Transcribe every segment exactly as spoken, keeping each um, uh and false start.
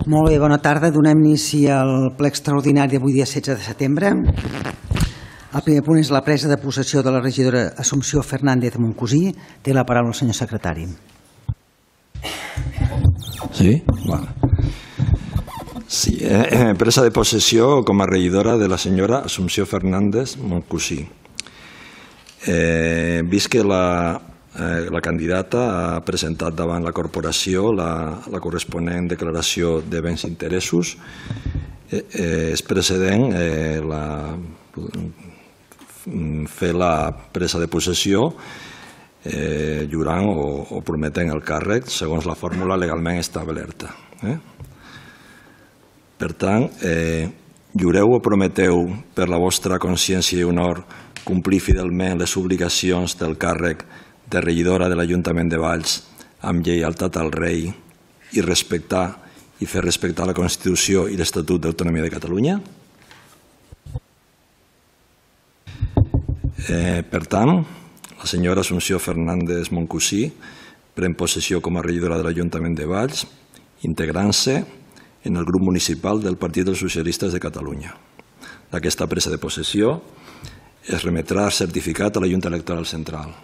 Molt bé, bona tarda. Donem inici al ple extraordinari d'avui dia setze de setembre. El primer punt és la presa de possessió de la regidora Assumpció Fernández de Montcosí. Té la paraula el senyor secretari. Sí, vale. Sí, eh, presa de possessió com a regidora de la senyora Assumpció Fernández Montcosí. Eh, vist que la, eh, la candidata ha presentat davant la corporació la, la corresponent declaració de béns i interessos, eh, eh, és precedent eh, la, fer la presa de possessió eh, jurant o, o prometent el càrrec segons la fórmula legalment establerta. Eh? Per tant, eh, jureu o prometeu per la vostra consciència i honor complir fidelment les obligacions del càrrec de regidora de l'Ajuntament de Valls amb lleialtat al rei i respectar i fer respectar la Constitució i l'Estatut d'Autonomia de Catalunya? Eh, per tant, la senyora Assumpció Fernández Montcosí pren possessió com a regidora de l'Ajuntament de Valls, integrant-se en el grup municipal del Partit dels Socialistes de Catalunya. D'aquesta presa de possessió es remetrà certificat a la Junta Electoral Central.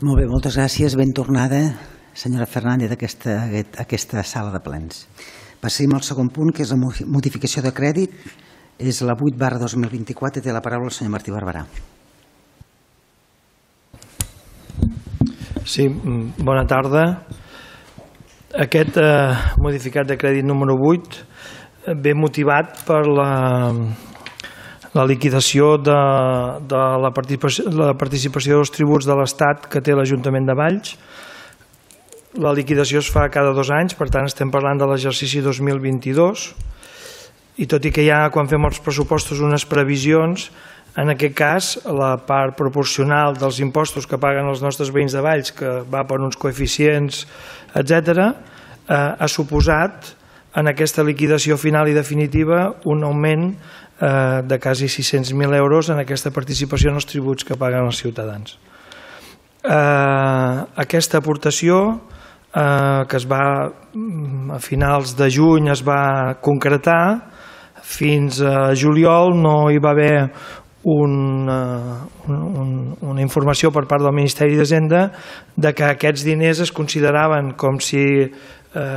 Molt bé, moltes gràcies. Ben tornada, senyora Fernández, a aquesta, a aquesta sala de plens. Passem al segon punt, que és la modificació de crèdit. És la vuit barra dos mil vint-i-quatre. Té la paraula el senyor Martí Barberà. Sí, bona tarda. Aquest eh, modificat de crèdit número vuit ve motivat per la, la liquidació de, de la, participació, la participació dels tributs de l'Estat que té l'Ajuntament de Valls. La liquidació es fa cada dos anys, per tant estem parlant de l'exercici dos mil vint-i-dos, i tot i que hi ha, quan fem els pressupostos, unes previsions, en aquest cas la part proporcional dels impostos que paguen els nostres veïns de Valls, que va per uns coeficients, etcètera, eh, ha suposat en aquesta liquidació final i definitiva un augment eh, de quasi sis-cents mil euros en aquesta participació en els tributs que paguen els ciutadans. Eh, aquesta aportació eh, que es va a finals de juny es va concretar, fins a juliol no hi va haver una, un, una informació per part del Ministeri d'Hisenda de que aquests diners es consideraven com si eh,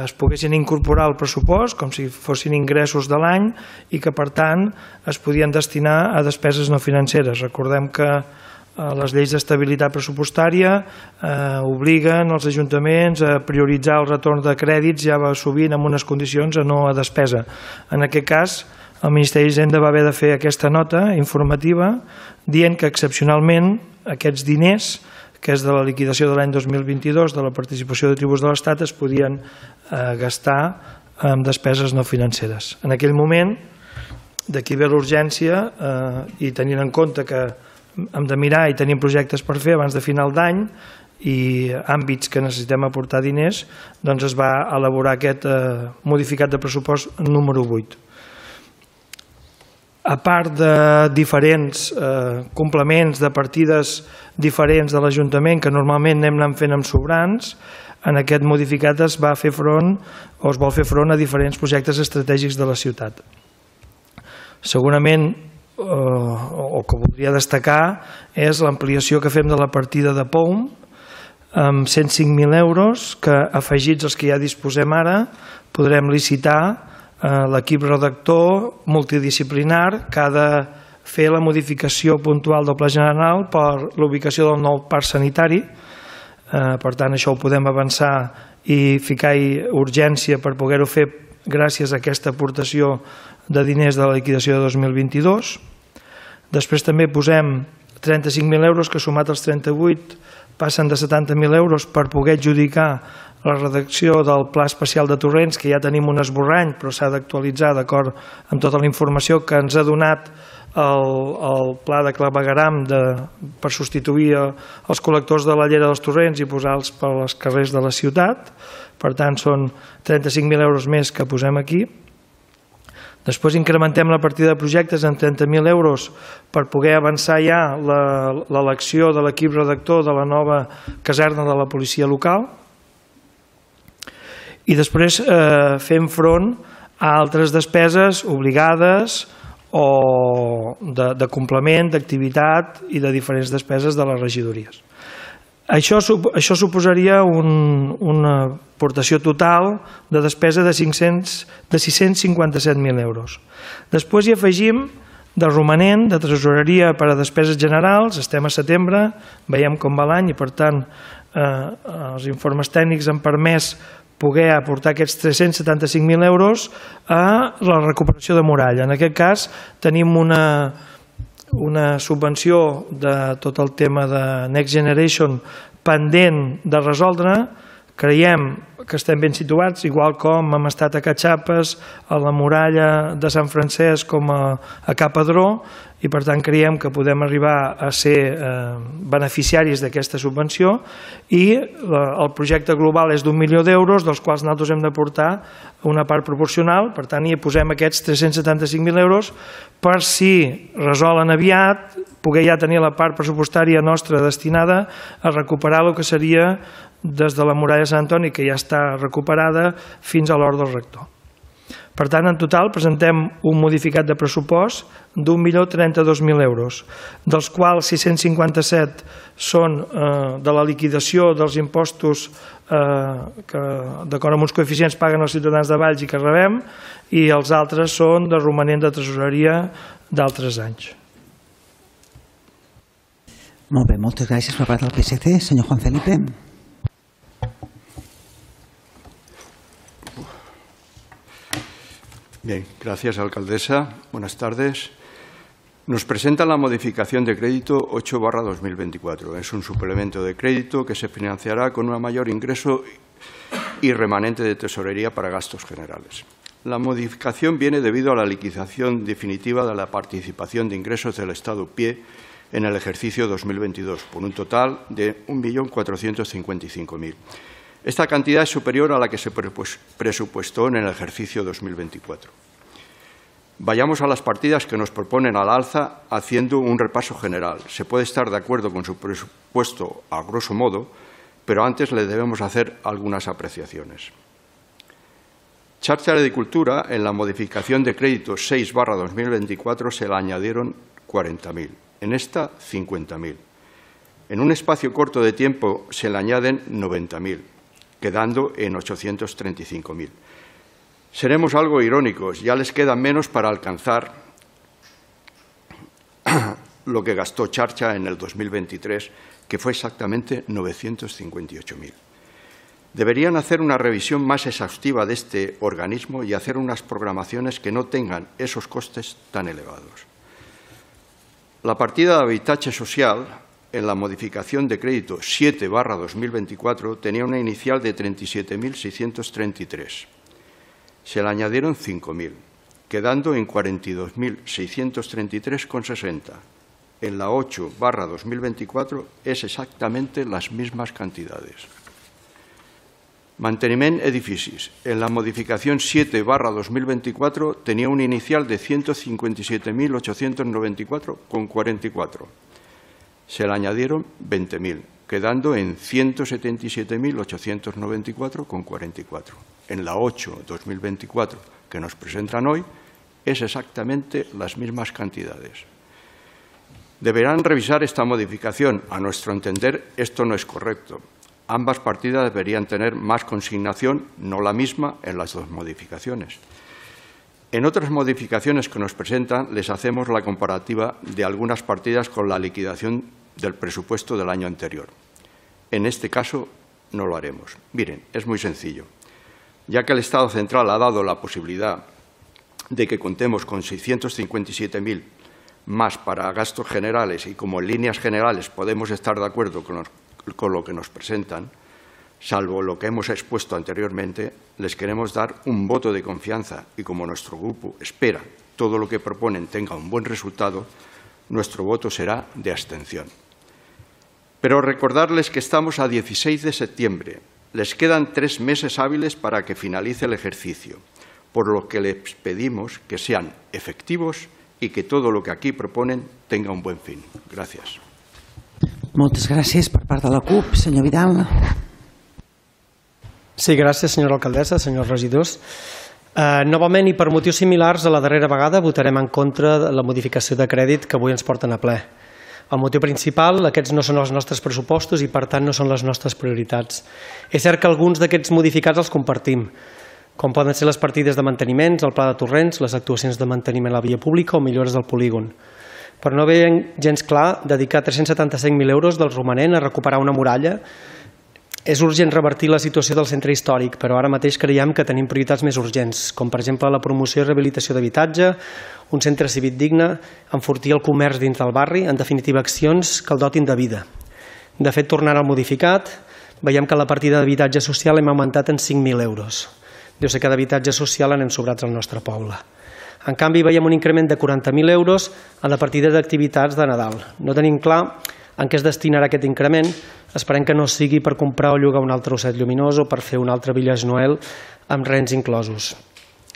es poguessin incorporar al pressupost, com si fossin ingressos de l'any i que per tant es podien destinar a despeses no financeres. Recordem que eh, les lleis d'estabilitat pressupostària eh, obliguen els ajuntaments a prioritzar el retorn de crèdits ja va sovint amb unes condicions a no a despesa. En aquest cas, el Ministeri d'Hisenda va haver de fer aquesta nota informativa dient que excepcionalment aquests diners, que és de la liquidació de l'any dos mil vint-i-dos, de la participació de tributs de l'Estat, es podien eh, gastar en despeses no financeres. En aquell moment, d'aquí ve l'urgència eh, i tenint en compte que hem de mirar i tenim projectes per fer abans de final d'any i àmbits que necessitem aportar diners, doncs es va elaborar aquest eh, modificat de pressupost número vuit. A part de diferents eh, complements de partides diferents de l'Ajuntament que normalment anem anant fent amb sobrants, en aquest modificat es va fer front o es vol fer front a diferents projectes estratègics de la ciutat. Segurament, eh, o que voldria destacar, és l'ampliació que fem de la partida de P O U M amb cent cinc mil euros que, afegits als que ja disposem ara, podrem licitar l'equip redactor multidisciplinar que ha de fer la modificació puntual del Pla General per l'ubicació del nou parc sanitari. Per tant, això ho podem avançar i ficar-hi urgència per poder-ho fer gràcies a aquesta aportació de diners de la liquidació de dos mil vint-i-dos. Després també posem trenta-cinc mil euros que, sumat als trenta-vuit, passen de setanta mil euros per poder adjudicar la redacció del Pla Especial de Torrents, que ja tenim un esborrany, però s'ha d'actualitzar d'acord amb tota la informació que ens ha donat el, el Pla de clavegueram de, per substituir els col·lectors de la llera dels torrents i posar-los per als carrers de la ciutat. Per tant, són trenta-cinc mil euros més que posem aquí. Després incrementem la partida de projectes en trenta mil euros per poder avançar ja l'elecció de l'equip redactor de la nova caserna de la policia local. i després eh, fem front a altres despeses obligades o de, de complement, d'activitat i de diferents despeses de les regidories. Això, això suposaria un, una aportació total de despesa de, cinc-cents, de sis-cents cinquanta-set mil euros. Després hi afegim de romanent de tresoreria per a despeses generals. Estem a setembre, veiem com va l'any i per tant eh, els informes tècnics han permès poder aportar aquests tres-cents setanta-cinc mil euros a la recuperació de muralla. En aquest cas tenim una, una subvenció de tot el tema de Next Generation pendent de resoldre. Creiem que estem ben situats, igual com hem estat a Catxapes, a la muralla de Sant Francesc com a, a Capadró, i per tant creiem que podem arribar a ser eh, beneficiaris d'aquesta subvenció i la, el projecte global és d'un milió d'euros, dels quals nosaltres hem d'aportar una part proporcional, per tant hi posem aquests tres-cents setanta-cinc mil euros per si resolen aviat, poder ja tenir la part pressupostària nostra destinada a recuperar el que seria des de la muralla de Sant Antoni, que ja està recuperada, fins a l'hort del rector. Per tant, en total presentem un modificat de pressupost d'un milió trenta-dos mil euros, dels quals sis-cents cinquanta-set són eh, de la liquidació dels impostos eh, que, d'acord amb uns coeficients, paguen els ciutadans de Valls i que rebem, i els altres són de romanent de tresoreria d'altres anys. Molt bé, moltes gràcies per part del P S C. Senyor Juan Felipe. Bien, gracias, alcaldesa. Buenas tardes. Nos presenta la modificación de crédito ocho barra dos mil veinticuatro. Es un suplemento de crédito que se financiará con un mayor ingreso y remanente de tesorería para gastos generales. La modificación viene debido a la liquidación definitiva de la participación de ingresos del Estado Pie en el ejercicio dos mil veintidós, por un total de un millón cuatrocientos cincuenta y cinco mil. Esta cantidad es superior a la que se presupuestó en el ejercicio dos mil veinticuatro. Vayamos a las partidas que nos proponen al alza haciendo un repaso general. Se puede estar de acuerdo con su presupuesto a grosso modo, pero antes le debemos hacer algunas apreciaciones. Charcha de Cultura, en la modificación de crédito seis barra dos mil veinticuatro se le añadieron cuarenta mil, en esta cincuenta mil. En un espacio corto de tiempo se le añaden noventa mil. Quedando en ochocientos treinta y cinco mil. Seremos algo irónicos, ya les queda menos para alcanzar lo que gastó Charcha en el dos mil veintitrés, que fue exactamente novecientos cincuenta y ocho mil. Deberían hacer una revisión más exhaustiva de este organismo y hacer unas programaciones que no tengan esos costes tan elevados. La partida de Habitatge Social, en la modificación de crédito siete barra dos mil veinticuatro, tenía una inicial de treinta y siete mil seiscientos treinta y tres. Se le añadieron cinco mil, quedando en cuarenta y dos mil seiscientos treinta y tres coma sesenta. En la ocho barra dos mil veinticuatro es exactamente las mismas cantidades. Manteniment edificis. En la modificación siete barra dos mil veinticuatro tenía una inicial de ciento cincuenta y siete mil ochocientos noventa y cuatro coma cuarenta y cuatro. Se le añadieron veinte mil, quedando en ciento setenta y siete mil ochocientos noventa y cuatro coma cuarenta y cuatro. En la ocho barra dos mil veinticuatro que nos presentan hoy es exactamente las mismas cantidades. Deberán revisar esta modificación. A nuestro entender, esto no es correcto. Ambas partidas deberían tener más consignación, no la misma, en las dos modificaciones. En otras modificaciones que nos presentan, les hacemos la comparativa de algunas partidas con la liquidación del presupuesto del año anterior. En este caso, no lo haremos. Miren, es muy sencillo. Ya que el Estado central ha dado la posibilidad de que contemos con seiscientos cincuenta y siete mil más para gastos generales y como en líneas generales podemos estar de acuerdo con, los, con lo que nos presentan, salvo lo que hemos expuesto anteriormente, les queremos dar un voto de confianza y como nuestro grupo espera todo lo que proponen tenga un buen resultado, nuestro voto será de abstención. Pero recordarles que estamos a dieciséis de septiembre. Les quedan tres meses hábiles para que finalice el ejercicio, por lo que les pedimos que sean efectivos y que todo lo que aquí proponen tenga un buen fin. Gracias. Moltes gràcies per part de la CUP. Senyor Vidal. Sí, gràcies, senyora alcaldessa, senyors regidors. Uh, novament i per motius similars a la darrera vegada votarem en contra de la modificació de crèdit que avui ens porten a ple. El motiu principal, aquests no són els nostres pressupostos i per tant no són les nostres prioritats. És cert que alguns d'aquests modificats els compartim, com poden ser les partides de manteniments, el pla de torrents, les actuacions de manteniment a la via pública o millores del polígon. Però no veiem gens clar dedicar tres-cents setanta-cinc mil euros del romanent a recuperar una muralla. És urgent revertir la situació del centre històric, però ara mateix creiem que tenim prioritats més urgents, com per exemple la promoció i rehabilitació d'habitatge, un centre cívic digne, enfortir el comerç dintre del barri, en definitiva accions que el dotin de vida. De fet, tornant al modificat, veiem que la partida d'habitatge social hem augmentat en cinc mil euros. Deu ser que d'habitatge social anem sobrats al nostre poble. En canvi, veiem un increment de quaranta mil euros a la partida d'activitats de Nadal. No tenim clar en què es destinarà aquest increment. Esperem que no sigui per comprar o llogar un altre osset lluminós o per fer un altre Village Noel amb rents inclosos.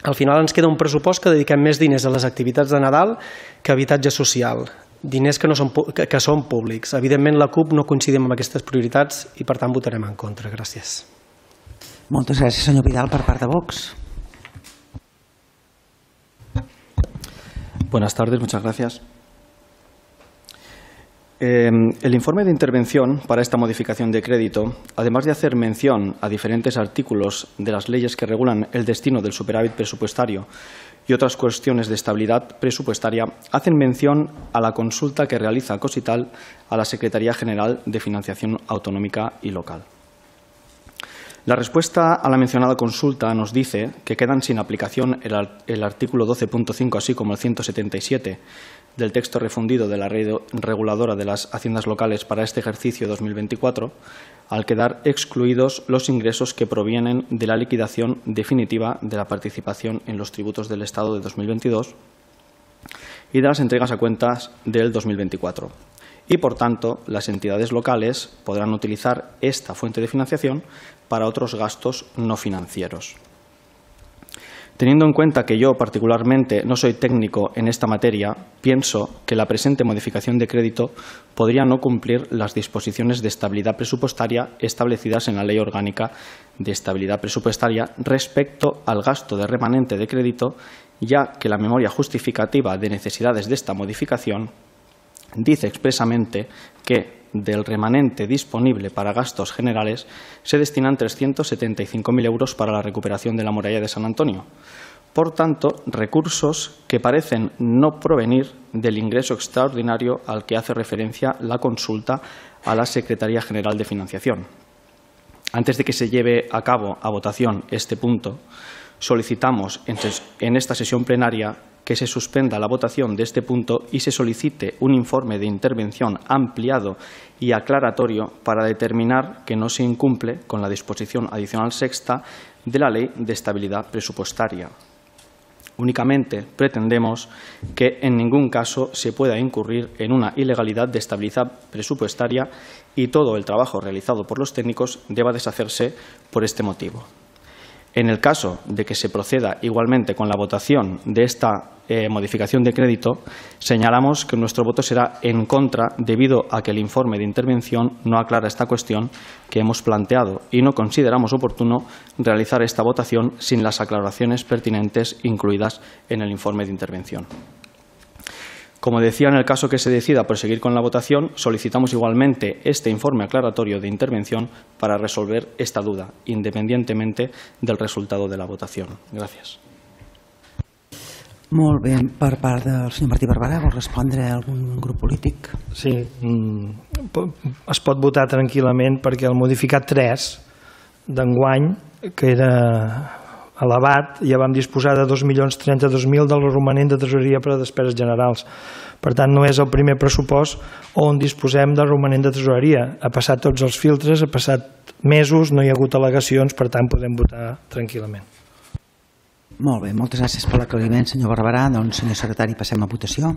Al final ens queda un pressupost que dediquem més diners a les activitats de Nadal que a habitatge social, diners que, no són, que, que són públics. Evidentment la CUP no coincidim amb aquestes prioritats i per tant votarem en contra. Gràcies. Moltes gràcies, senyor Vidal, per part de Vox. Buenas tardes, muchas gracias. Eh, el informe de intervención para esta modificación de crédito, además de hacer mención a diferentes artículos de las leyes que regulan el destino del superávit presupuestario y otras cuestiones de estabilidad presupuestaria, hacen mención a la consulta que realiza Cosital a la Secretaría General de Financiación Autonómica y Local. La respuesta a la mencionada consulta nos dice que quedan sin aplicación el, el artículo doce punto cinco, así como el ciento setenta y siete del texto refundido de la Ley Reguladora de las Haciendas Locales para este ejercicio dos mil veinticuatro, al quedar excluidos los ingresos que provienen de la liquidación definitiva de la participación en los tributos del Estado de dos mil veintidós y de las entregas a cuentas del dos mil veinticuatro. Y, por tanto, las entidades locales podrán utilizar esta fuente de financiación para otros gastos no financieros. Teniendo en cuenta que yo particularmente no soy técnico en esta materia, pienso que la presente modificación de crédito podría no cumplir las disposiciones de estabilidad presupuestaria establecidas en la Ley Orgánica de Estabilidad Presupuestaria respecto al gasto de remanente de crédito, ya que la memoria justificativa de necesidades de esta modificación dice expresamente que del remanente disponible para gastos generales se destinan trescientos setenta y cinco mil euros para la recuperación de la muralla de San Antonio. Por tanto, recursos que parecen no provenir del ingreso extraordinario al que hace referencia la consulta a la Secretaría General de Financiación. Antes de que se lleve a cabo a votación este punto, solicitamos en esta sesión plenaria que se suspenda la votación de este punto y se solicite un informe de intervención ampliado y aclaratorio para determinar que no se incumple con la disposición adicional sexta de la Ley de Estabilidad Presupuestaria. Únicamente pretendemos que en ningún caso se pueda incurrir en una ilegalidad de estabilidad presupuestaria y todo el trabajo realizado por los técnicos deba deshacerse por este motivo. En el caso de que se proceda igualmente con la votación de esta eh, modificación de crédito, señalamos que nuestro voto será en contra debido a que el informe de intervención no aclara esta cuestión que hemos planteado y no consideramos oportuno realizar esta votación sin las aclaraciones pertinentes incluidas en el informe de intervención. Como decía, en el caso que se decida proseguir con la votación, solicitamos igualmente este informe aclaratorio de intervención para resolver esta duda, independientemente del resultado de la votación. Gràcies. Molt bé. Per part del senyor Martí Barberà, vol respondre a algun grup polític? Sí, es pot votar tranquil·lament perquè el modificat tres d'enguany, que era elevat, ja vam disposar de dos milions trenta-dos mil del romanent de tresoreria per a despeses generals. Per tant, no és el primer pressupost on disposem del romanent de tresoreria. Ha passat tots els filtres, ha passat mesos, no hi ha hagut al·legacions, per tant, podem votar tranquil·lament. Molt bé, moltes gràcies per l'aclariment, senyor Barberà. Doncs, senyor secretari, passem a votació.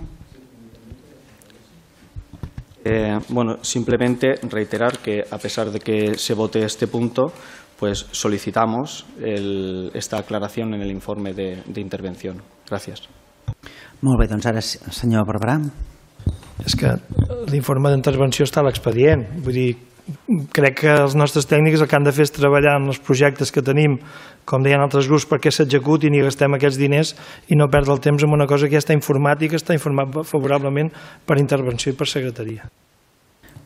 Eh, bueno, simplemente reiterar que, a pesar de que se vote este punto, pues solicitamos el, esta aclaración en el informe de, de intervención. Gràcies. Molt bé, doncs ara, senyor Barberà. És que l'informe d'intervenció està a l'expedient. Vull dir, crec que els nostres tècnics el que han de fer és treballar en els projectes que tenim, com deien altres grups, perquè s'executin i gastem aquests diners i no perdre el temps en una cosa que ja està informàtica, està informat favorablement per intervenció i per secretaria.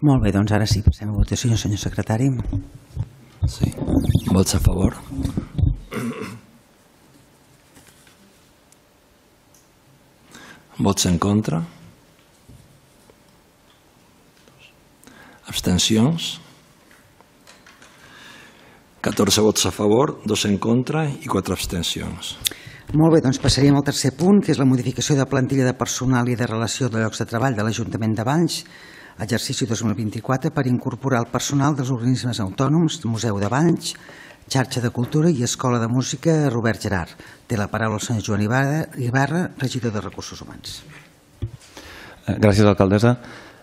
Molt bé, doncs ara sí, passem a votació, senyor secretari. Sí. Vots a favor? Vots en contra? Abstencions? catorze vots a favor, dos en contra i quatre abstencions. Molt bé, doncs passaríem al tercer punt, que és la modificació de plantilla de personal i de relació de llocs de treball de l'Ajuntament de Valls, exercici dos mil vint-i-quatre, per incorporar el personal dels organismes autònoms, Museu de Valls, Xarxa de Cultura i Escola de Música Robert Gerard. Té la paraula el senyor Joan Ibarra, regidor de Recursos Humans. Gràcies, alcaldessa.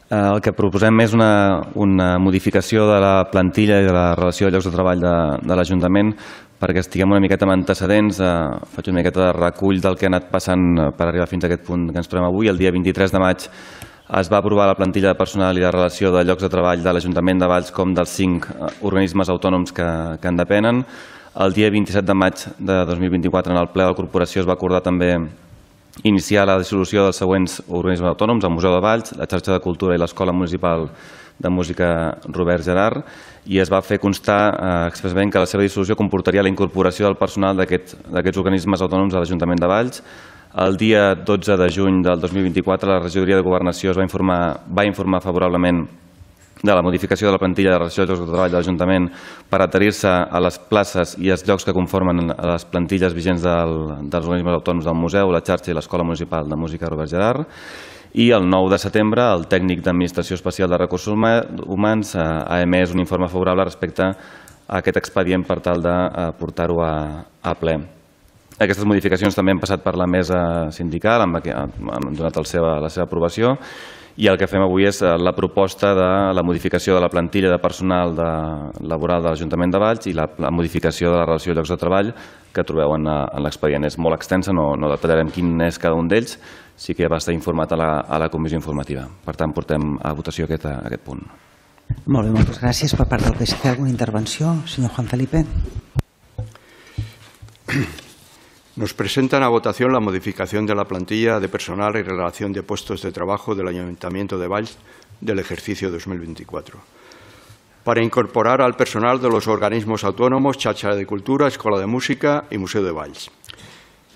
El que proposem és una, una modificació de la plantilla i de la relació de llocs de treball de, de l'Ajuntament perquè estiguem una miqueta amb antecedents. Eh, faig una miqueta de recull del que ha anat passant per arribar fins a aquest punt que ens trobem avui. El dia vint-i-tres de maig es va aprovar la plantilla de personal i de relació de llocs de treball de l'Ajuntament de Valls com dels cinc organismes autònoms que, que en depenen. El dia vint-i-set de maig de dos mil vint-i-quatre en el ple de la corporació es va acordar també iniciar la dissolució dels següents organismes autònoms, el Museu de Valls, la Xarxa de Cultura i l'Escola Municipal de Música Robert Gerard, i es va fer constar eh, expressament que la seva dissolució comportaria la incorporació del personal d'aquests organismes autònoms a l'Ajuntament de Valls. El dia dotze de juny del dos mil vint-i-quatre la regidoria de Governació es va informar, va informar favorablement de la modificació de la plantilla de relació de llocs de treball de l'Ajuntament per adherir-se a les places i els llocs que conformen les plantilles vigents del, dels organismes autònoms del museu, la xarxa i l'Escola Municipal de Música Robert Gerard. I el nou de setembre el tècnic d'Administració Especial de Recursos Humans ha emès un informe favorable respecte a aquest expedient per tal de portar-ho a, a ple. Aquestes modificacions també han passat per la mesa sindical, han, han donat el seva, la seva aprovació, i el que fem avui és la proposta de la modificació de la plantilla de personal de, laboral de l'Ajuntament de Valls i la, la modificació de la relació de llocs de treball que trobeu en, en l'expedient. És molt extensa, no, no detallarem quin és cada un d'ells, sí que va estar informat a la, a la comissió informativa. Per tant, portem a votació aquest, aquest punt. Molt bé, moltes gràcies. Per part del P S C, alguna intervenció? Senyor Juan Felipe. Nos presentan a votación la modificación de la plantilla de personal y relación de puestos de trabajo del Ayuntamiento de Valls del ejercicio dos mil veinticuatro, para incorporar al personal de los organismos autónomos, Xarxa de Cultura, Escola de Música y Museo de Valls.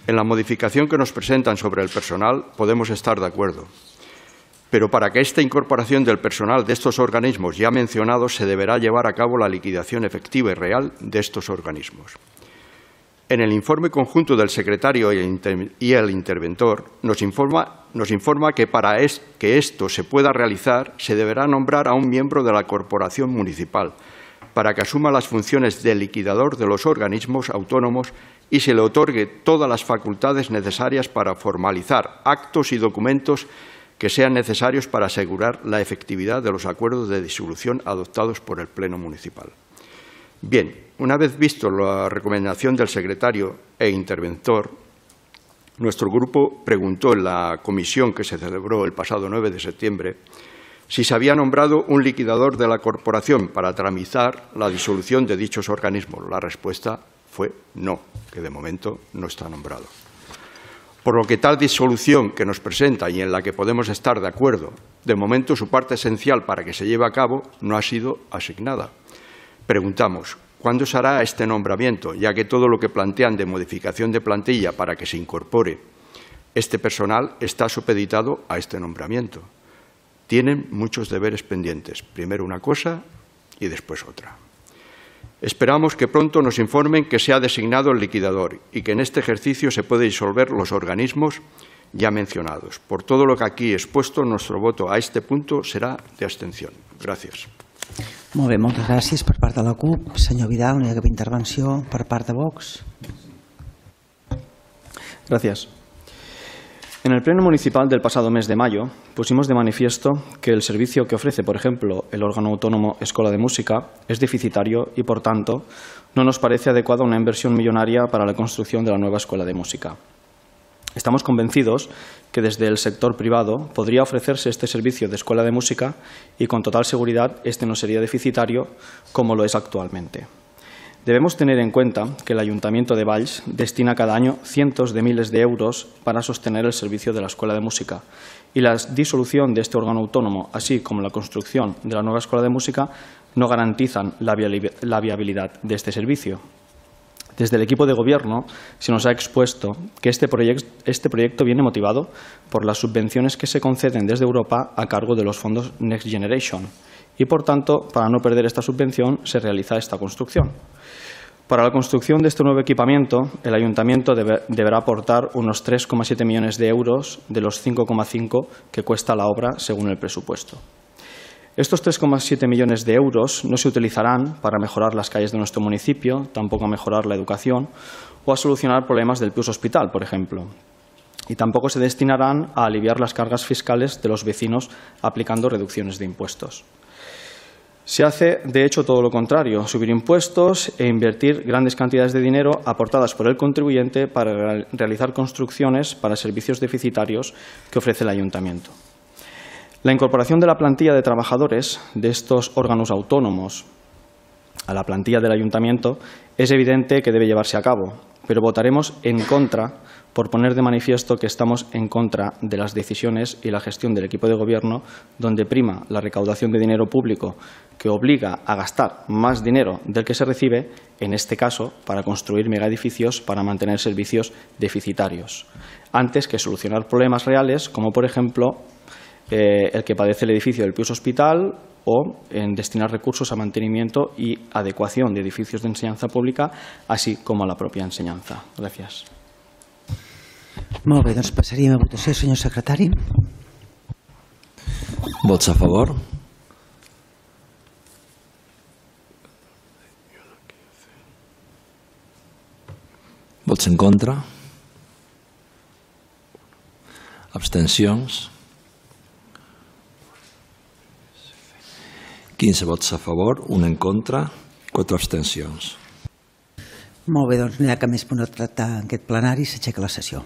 En la modificación que nos presentan sobre el personal podemos estar de acuerdo, pero para que esta incorporación del personal de estos organismos ya mencionados se deberá llevar a cabo la liquidación efectiva y real de estos organismos. En el informe conjunto del secretario y el interventor nos informa, nos informa que para es, que esto se pueda realizar se deberá nombrar a un miembro de la corporación municipal para que asuma las funciones de liquidador de los organismos autónomos y se le otorgue todas las facultades necesarias para formalizar actos y documentos que sean necesarios para asegurar la efectividad de los acuerdos de disolución adoptados por el Pleno Municipal. Bien, una vez visto la recomendación del secretario e interventor, nuestro grupo preguntó en la comisión que se celebró el pasado nueve de septiembre si se había nombrado un liquidador de la corporación para tramitar la disolución de dichos organismos. La respuesta fue no, que de momento no está nombrado. Por lo que tal disolución que nos presenta y en la que podemos estar de acuerdo, de momento su parte esencial para que se lleve a cabo no ha sido asignada. Preguntamos, ¿cuándo se hará este nombramiento? Ya que todo lo que plantean de modificación de plantilla para que se incorpore este personal está supeditado a este nombramiento. Tienen muchos deberes pendientes, primero una cosa y después otra. Esperamos que pronto nos informen que se ha designado el liquidador y que en este ejercicio se puede disolver los organismos ya mencionados. Por todo lo que aquí he expuesto, nuestro voto a este punto será de abstención. Gràcies. Molt bé, moltes gràcies per part de la CUP. Senyor Vidal, no hi ha cap intervenció per part de Vox. Gracias. En el Pleno Municipal del pasado mes de mayo pusimos de manifiesto que el servicio que ofrece, por ejemplo, el órgano autónomo Escola de Música es deficitario y, por tanto, no nos parece adecuada una inversión millonaria para la construcción de la nueva Escuela de Música. Estamos convencidos que desde el sector privado podría ofrecerse este servicio de escuela de música y con total seguridad este no sería deficitario como lo es actualmente. Debemos tener en cuenta que el Ayuntamiento de Valls destina cada año cientos de miles de euros para sostener el servicio de la escuela de música y la disolución de este órgano autónomo, así como la construcción de la nueva escuela de música, no garantizan la viabilidad de este servicio. Desde el equipo de gobierno se nos ha expuesto que este proyecto, este proyecto viene motivado por las subvenciones que se conceden desde Europa a cargo de los fondos Next Generation y, por tanto, para no perder esta subvención, se realiza esta construcción. Para la construcción de este nuevo equipamiento, el Ayuntamiento debe, deberá aportar unos tres coma siete millones de euros de los cinco coma cinco que cuesta la obra según el presupuesto. Estos tres coma siete millones de euros no se utilizarán para mejorar las calles de nuestro municipio, tampoco a mejorar la educación o a solucionar problemas del Pius Hospital, por ejemplo. Y tampoco se destinarán a aliviar las cargas fiscales de los vecinos aplicando reducciones de impuestos. Se hace, de hecho, todo lo contrario, subir impuestos e invertir grandes cantidades de dinero aportadas por el contribuyente para realizar construcciones para servicios deficitarios que ofrece el Ayuntamiento. La incorporación de la plantilla de trabajadores de estos órganos autónomos a la plantilla del Ayuntamiento es evidente que debe llevarse a cabo, pero votaremos en contra por poner de manifiesto que estamos en contra de las decisiones y la gestión del equipo de gobierno, donde prima la recaudación de dinero público que obliga a gastar más dinero del que se recibe, en este caso para construir megaedificios para mantener servicios deficitarios, antes que solucionar problemas reales como, por ejemplo, eh, el que padece el edificio del Pius Hospital o en destinar recursos a mantenimiento y adecuación de edificios de enseñanza pública, así como a la propia ensenyanza. Gràcies. Molt bé, doncs passaríem a votació, senyor secretari. Vots a favor? Vots en contra? Abstencions? quinze vots a favor, un en contra, quatre abstencions. Molt bé, doncs no hi ha cap més punt a tractar en aquest plenari, s'aixeca la sessió.